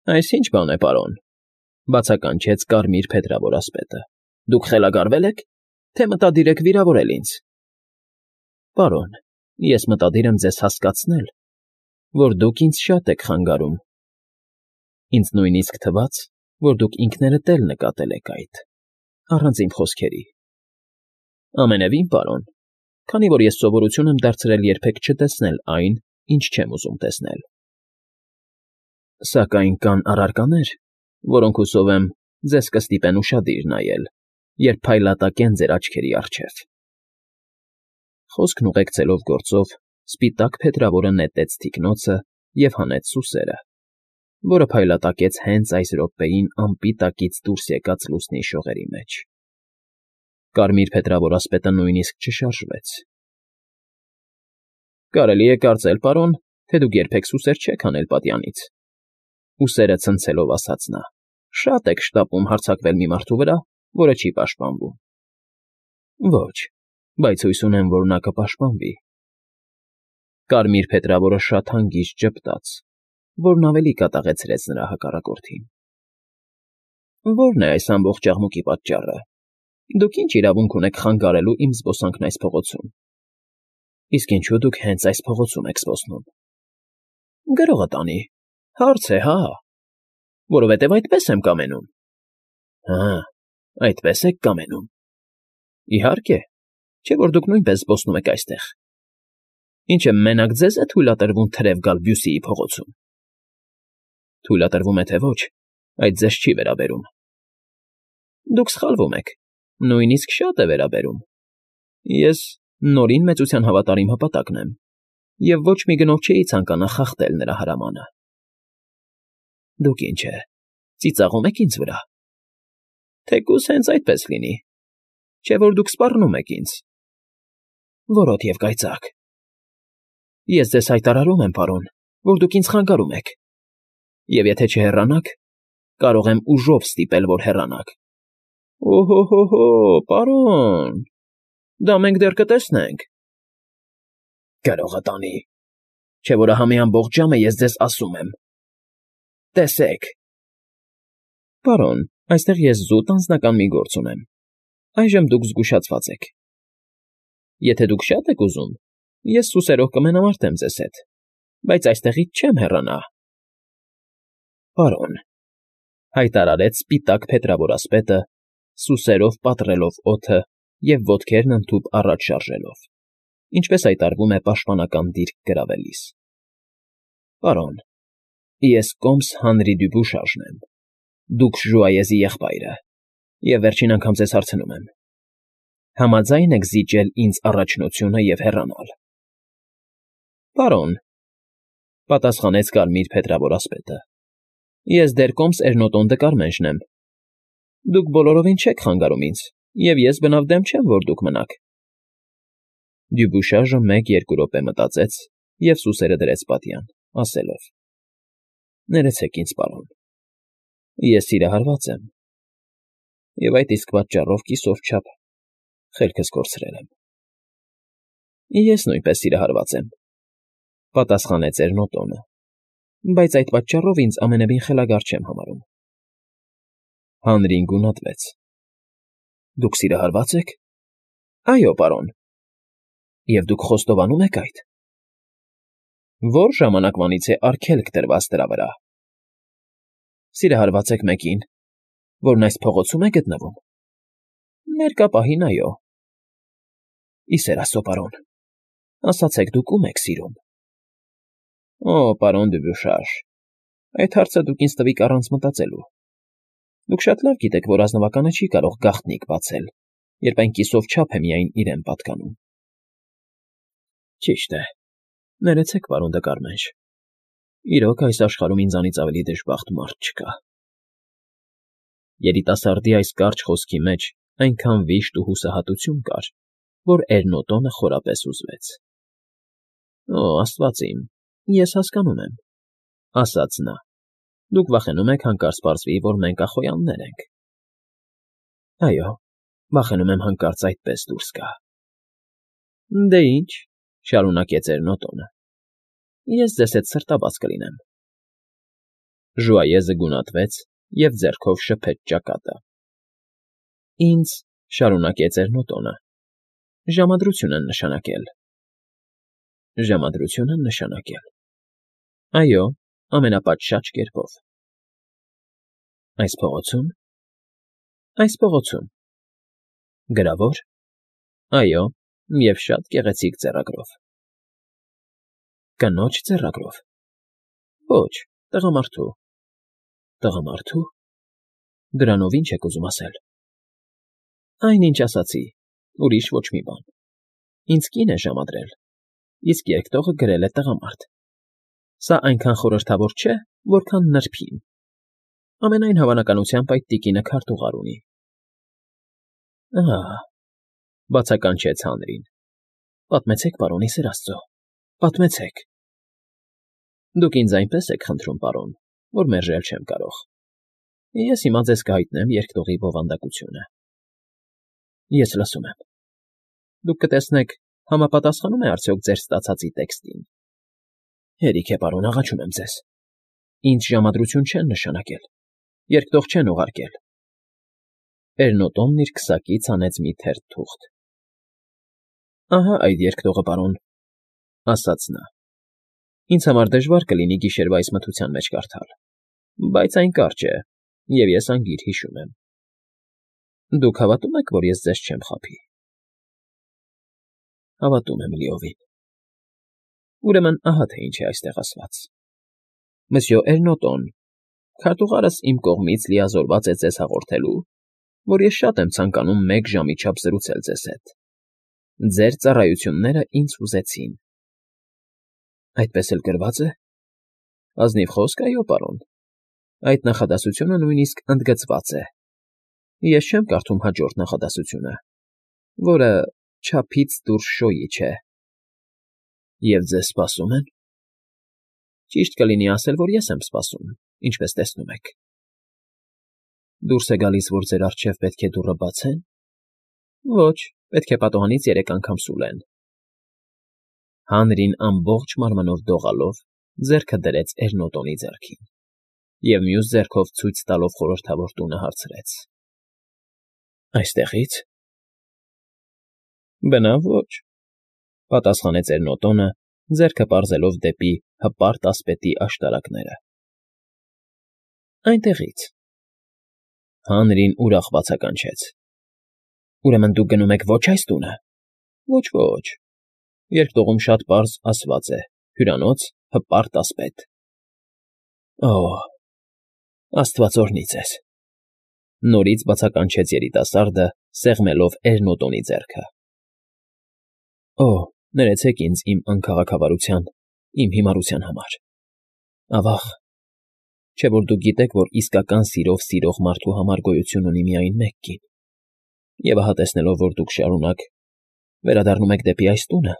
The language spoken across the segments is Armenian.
Այս ի՞նչ բան է, պարոն,֊ բացականչեց Կարմիր փետրավորասպետը։ Դուք խելագարվե՞լ եք, թե մտադիր եք վիրավորել ինձ։ Պարոն, ես մտադիր եմ ձեզ հասկացնել, որ դուք ինձ շատ եք խանգարում։ Ինձ նույնիսկ թվաց, որ դուք ինքներդ էլ նկատել եք այդ, առանց իմ խոսքերի։ Ամենևին, պարոն, քանի որ ես սովորություն եմ դարձրել երբեք չտեսնել այն, ինչ չեմ ուզում տեսնել։ Սակայն կան առարկաներ, որոնք հուսով եմ ձեզ կստիպեն ուշադիր նայել, երբ փայլատակեն ձեր աչքերի առջև։ Խոսքն ուղեկցելով գործով սպիտակ փետրավորը նետեց թիկնոցը և հանեց սուսերը, որը փայլատակեց հենց այս րոպեին ամպի տակից դուրս եկած լուսնի շողերի մեջ։ Կարմիր փետրավորասպետը նույնիսկ չշարժվեց։ Կարելի է կարծել, պարոն, թե դուք երբեք սուսեր չեք հանել պատյանից,֊ ուսերը ցնցելով ասաց նա։ Շատ եք շտապում հարձակվել մի մարդու վրա, որը չի պաշտպանվում։ Ոչ, բայց հույս ունեմ, որ նա կպաշտպանվի։ Կարմիր փետրավորը շատ հանգիստ ժպտաց, որն ավելի կատաղեցրեց նրա հակառակորդին։ Ո՞րն է այս ամբողջ աղմուկի պատճառը։ Դուք ինչ իրավունք ունեք խանգարելու իմ զբոսանքն այս փողոցում։ Իսկ ինչու դուք հենց այս փողոցում եք զբոսնում։ Գրողը տանի, հարց է, հա։ Որովհետև այդպես եմ կամենում։ Հա, այդպես եք կամենում։ Իհարկե, չէ՞ որ դուք նույնպես զբոսնում եք այստեղ։ Ինչ է մենակ ձեզ է թույլատրվում թրև գալ Բյուսիի փողոցում։ Թույլատրվում է թե ոչ, այդ ձեզ չի վերաբերում։ Դուք սխալվում եք, նույնիսկ շատ է վերաբերում։ Ես Նորին մեծության հավատարիմ հպատակն եմ, և ոչ մի գնով չէի ցանկանա խախտել նրա հրամանը։ Դուք ինչ է, ծիծաղում եք ինձ վրա։ Թեկուզ հենց այդպես լինի, չէ՞ որ դուք սպառնում եք ինձ։ Որոտ և կայծակ։ Ես ձեզ հայտարարում եմ, պարոն, որ դուք ինձ խանգարում եք, և եթե չհեռանաք, կարող եմ ուժով ստիպել, որ հեռանաք։ Օհո, պարոն, դա մենք դեռ կտեսնենք։ Գրողը տանի, չէ՞ որ ահա մի ամբողջ ժամ է ես ձեզ ասում եմ։ Տեսեք։ Պարոն, այստեղ ես զուտ անձնական մի գործ ունեմ։ Այժմ դուք զգուշացված եք։ Եթե դուք շատ եք ուզում, ես սուսերով կմենամարտեմ ձեզ հետ, բայց այստեղից չեմ հեռանա։ Պարոն, հայտարարեց սպիտակ փետրավորասպետը, սուսերով պատռելով օդը և ոտքերն ընդհուպ առաջ շարժելով, ինչպես հայտարարվում է պաշտպանական դիրք գրավելիս։ Պարոն, ես կոմս Հանրի Դյուբուշաժն եմ, դուք Ժուայեզի եղբայրը, և վերջին անգամ ձեզ հարցնում եմ. համաձա՞յն եք զիջել ինձ առաջնությունը և հեռանալ։ Պարոն, պատասխանեց Կարմիր փետրավորասպետը, ես դեռ կոմս Էրնոտոն Դկարմենշն եմ։ Դուք բոլորովին չեք խանգարում ինձ, և ես բնավ դեմ չեմ, որ դուք մնաք։ Դյուբուշաժը 1-2 րոպե մտածեց և սուսերը դրեց պատյան, ասելով. Ներեցեք ինձ, պարոն, ես սիրահարված եմ, և այդ իսկ պատճառով կիսով չափ խելքս կորցրել եմ։ Ես նույնպես սիրահարված եմ, պատասխանեց Էրնոտոնը, բայց այդ պատճառով ինձ ամենևին խելագար չեմ համարում։ Հանրին գունատվեց. Դուք սիրահարվա՞ծ եք։ Այո, պարոն։ Եվ դուք խոստովանում եք այդ։ Ո՞ր ժամանակվանից է արգելք տրված դրա վրա։ Սիրահարված եք մեկին, որն այս փողոցում է գտնվում։ Ներկա պահին, այո։ Ի սեր Աստծո, պարոն, ասացեք դուք ում եք սիրում։ Օ, պարոն Դյուբուշաժ, այդ հարցը դուք ինձ տվիք առանց մտածելու։ Դուք շատ լավ գիտեք, որ ազնվականը չի կարող գաղտնիք բացել, երբ այն կիսով չափ է միայն իրեն պատկանում։ Ճիշտ է, ներեցեք, պարոն Դկարմենշ, իրոք այս աշխարհում ինձանից ավելի դժբախտ մարդ չկա։ Երիտասարդի այս կարճ խոսքի մեջ այնքան վիշտ ու հուսահատություն կար, որ Էրնոտոնը խորապես հուզվեց։ Օ, աստված իմ, ես հասկանում եմ, ասաց նա, դուք վախենում եք հանկարծ պարզվի, որ մենք ախոյաններ ենք։ Այո, վախենում եմ հանկարծ այդպես դուրս գա։ Դե ինչ, շարունակեց Էրնոտոնը, ես ձեզ հետ սրտաբաց կլինեմ։ Ժուայեզը գունատվեց և ձեռքով շփեց ճակատը։ ֊ Ինձ,֊ շարունակեց Էրնոտոնը,֊ ժամադրություն են նշանակել։ ֊ Ժամադրություն են նշանակել… Այո, ամենապատշաճ կերպով։ ֊ Այս փողոցո՞ւմ։ ֊ Այս փողոցում։ ֊ Գրավո՞ր։ ֊ Այո, և շատ գեղեցիկ ձեռագրով։ ֊ Կնո՞ջ ձեռագրով։ ֊ Ոչ, տղամարդու։ ֊ Տղամարդու։ Դրանով ի՞նչ եք ուզում ասել։ ֊ Այն, ինչ ասացի, ուրիշ ոչ մի բան։ Ինձ կին է ժամադրել, իսկ երկտողը գրել է տղամարդ։ Սա այնքան խորհրդավոր չէ, որքան նրբին։ Ամենայն հավանականությամբ այդ տիկինը քարտուղար ունի։ ֊ Ահ,֊ բացականչեց Հանրին,֊ պատմեցեք, պարոն, ի սեր աստծո, պատմեցեք։ ֊ Դուք ինձ այնպես եք խնդրում, պարոն, որ մերժել չեմ կարող։ Ես հիմա ձեզ կհայտնեմ երկտողի բովանդակությունը։ ֊ Ես լսում եմ։ Դուք կտեսնեք, համապատասխանում է արդյոք ձեր ստացածի տեքստին։ ֊ Հերիք է, պարոն, աղաչում եմ ձեզ։ Ինձ ժամադրություն չեն նշանակել, երկտող չեն ուղարկել։ Էրնոտոնն իր քսակից հանեց մի թերթ թուղթ։ ֊ Ահա այդ երկտողը, պարոն,֊ ասաց նա։ Ինձ համար դժվար կլինի գիշերվա այս մթության մեջ կարդալ, բայց այն կարճ է, և ես անգիր հիշում եմ։ Դուք հավատո՞ւմ եք, որ ես ձեզ չեմ խաբի։ ֊ Հավատում եմ լիովին։ ֊ Ուրեմն ահա թե ինչ է այստեղ ասված. Մսյո Էրնոտոն, քարտուղարս իմ կողմից լիազորված է ձեզ հաղորդելու, որ ես շատ եմ ցանկանում 1 ժամի չափ զրուցել ձեզ հետ։ Ձեր ծառայությունները ինձ հուզեցին։ ֊ Այդպես էլ գրվա՞ծ է։ ֊ Ազնիվ խոսք, այո, պարոն։ Այդ նախադասությունը նույնիսկ ընդգծված է։ Ես չեմ կարդում հաջորդ նախադասությունը, որը չափից դուրս շոյի չէ։ ֊ Եվ ձեզ սպասում են։ ֊ Ճիշտ կլինի ասել, որ ես եմ սպասում, ինչպես տեսնում եք։ ֊ Դուրս է գալիս, որ ձեր առջև պետք է դուռը բացե՞ն։ ֊ Ոչ, պետք է պատուհանից 3 անգամ սուլեն։ Հանրին ամբողջ մարմնով դողալով ձեռքը դրեց Էրնոտոնի ձեռքին և մյուս ձեռքով ցույց տալով խորհրդավոր տունը հարցրեց. ֊ Այստեղի՞ց։ ֊ Բնավ ոչ,֊ պատասխանեց Էրնոտոնը, ձեռքը պարզելով դեպի հպարտ ասպետի աշտարակները։ ֊ Այնտեղի՞ց։ Հանրին ուրախ բացականչեց. ֊ Ուրեմն դուք գնում եք ոչ այս տունը։ ֊ Ոչ, ոչ։ Երկտողում շատ պարզ ասված է. հյուրանոց, հպարտ ասպետ։ ֊ Օ՜, աստված օրհնի ձեզ,֊ նորից բացականչեց երիտասարդը, սեղմելով Էրնոտոնի ձեռքը։ ֊ Օ՜, ներեցեք ինձ իմ անքաղաքավարության, իմ հիմարության համար։ Ավա՜ղ, չէ՞ որ դուք գիտեք, որ իսկական սիրով սիրող մարդու համար գոյություն ունի միայն մեկ կին, և ահա տեսնելով, որ դուք շարունակ վերադառնում եք դեպի այս տունը,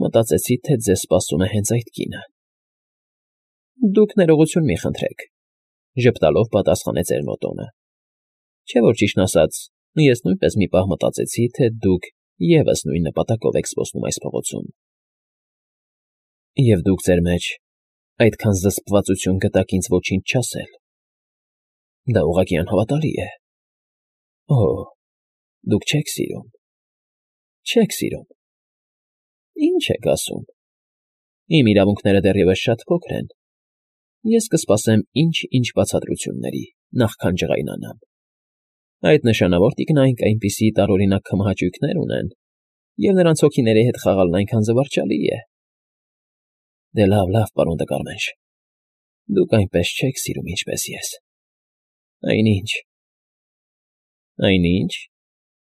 մտածեցի, թե ձեզ սպասում է հենց այդ կինը։ ֊ Դուք ներողություն մի խնդրեք,֊ ժպտալով պատասխանեց Էրնոտոնը։ ֊ Չէ՞ որ ճիշտն ասած, ես նույնպես մի պահ մտածեցի, թե դուք ևս նույն նպատակով եք զբոսնում այս փողոցում։ ֊ Եվ դուք ձեր մեջ այդքան զսպվածություն գտաք ինձ ոչինչ չասել։ Դա ուղղակի անհավատալի է։ Օ՜, դուք չեք սիրում։ Չեք սիրում։ Ինչ եք ասում։ Իմ իրավունքները դեռևս շատ փոքր են։ Ես կսպասեմ ինչ-ինչ բացատրությունների, նախքան ջղայնանամ։ Այդ նշանավոր տիկնայք այնպիսի տարօրինակ քմահաճույքներ ունեն, և նրանց հոգիների հետ խաղալն այնքան զվարճալի է։ Դե լավ, լավ, պարոն Տկարմենշ, դուք այնպես չեք սիրում, ինչպես ես։ Այնինչ։ ֊ Այնինչ,֊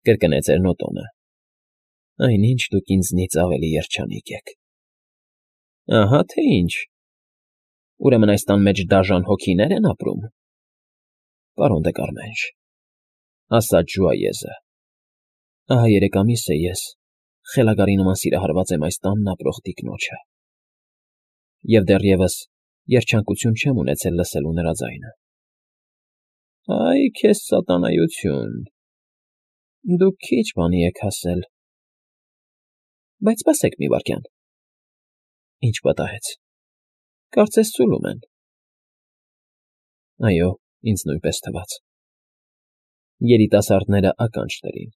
կրկնեց Էրնոտոնը,֊ այնինչ դուք ինձնից ավելի երջանիկ եք։ ֊ Ահա թե ինչ։ Ուրեմն այս տան մեջ դաժան հոգինե՞ր են ապրում։ ֊ Պարոն Դեկարմենշ,֊ ասաց Ժուայեզը,֊ ահա 3 ամիս է ես խելագարի նման սիրահարված եմ այս տանն ապրող տիկնոջը, և դեռևս երջանկություն չեմ ունեցել լսելու նրա ձայնը։ ֊ Այ քեզ սատանայություն, դուք քիչ բանի եք հասել։ ֊ Բայց սպասեք մի վայրկյան։ ֊ Ինչ պատահեց։ Կարծես սուլում են։ Այո, ինձ նույնպես թվաց։ Երիտասարդները ականջ դրին։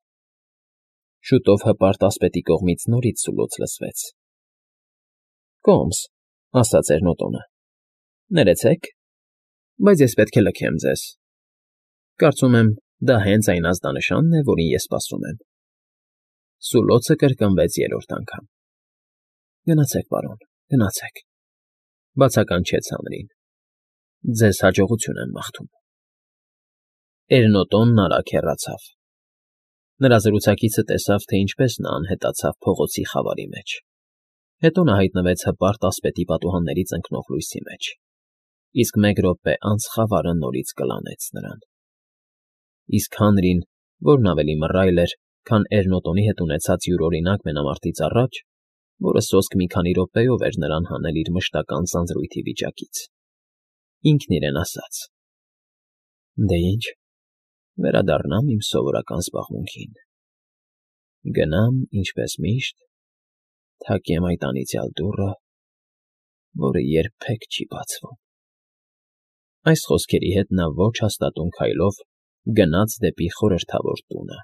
Շուտով հպարտ ասպետի կողմից նորից սուլոց լսվեց։ ֊ Կոմս,֊ ասաց Էրնոտոնը,֊ ներեցեք, բայց ես պետք է լքեմ ձեզ։ Կարծում եմ, դա հենց այն ազդանշանն է, որին ես սպասում եմ։ Սուլոցը կրկնվեց երրորդ անգամ։ ֊ Գնացեք, պարոն, գնացեք,֊ բացականչեց Հանրին։ Ձեզ հաջողություն եմ մաղթում։ Էրնոտոնն արագ հեռացավ։ Նրա զրուցակիցը տեսավ, թե ինչպես նա անհետացավ փողոցի խավարի մեջ։ Հետո նա հայտնվեց հպարտ ասպետի պատուհաններից ընկնող լույսի մեջ, իսկ մեկ րոպե անց խավարը նորից կլանեց նրան։ Իսկ Հանրին, որն ավելի մռայլ էր, քան Էրնոտոնի հետ ունեցած յուրօրինակ մենամարտից առաջ, որը սոսկ մի քանի րոպեով էր նրան հանել իր մշտական ձանձրույթի վիճակից, ինքն իրեն ասաց. «Դե ինչ, վերադառնամ իմ սովորական զբաղմունքին, գնամ, ինչպես միշտ, թակեմ այդ անիծյալ դուռը, որը երբեք չի բացվում»։ Այս խոսքերի հետ նա ոչ հաստատուն քայլով գնաց դեպի խորհրդավոր տունը։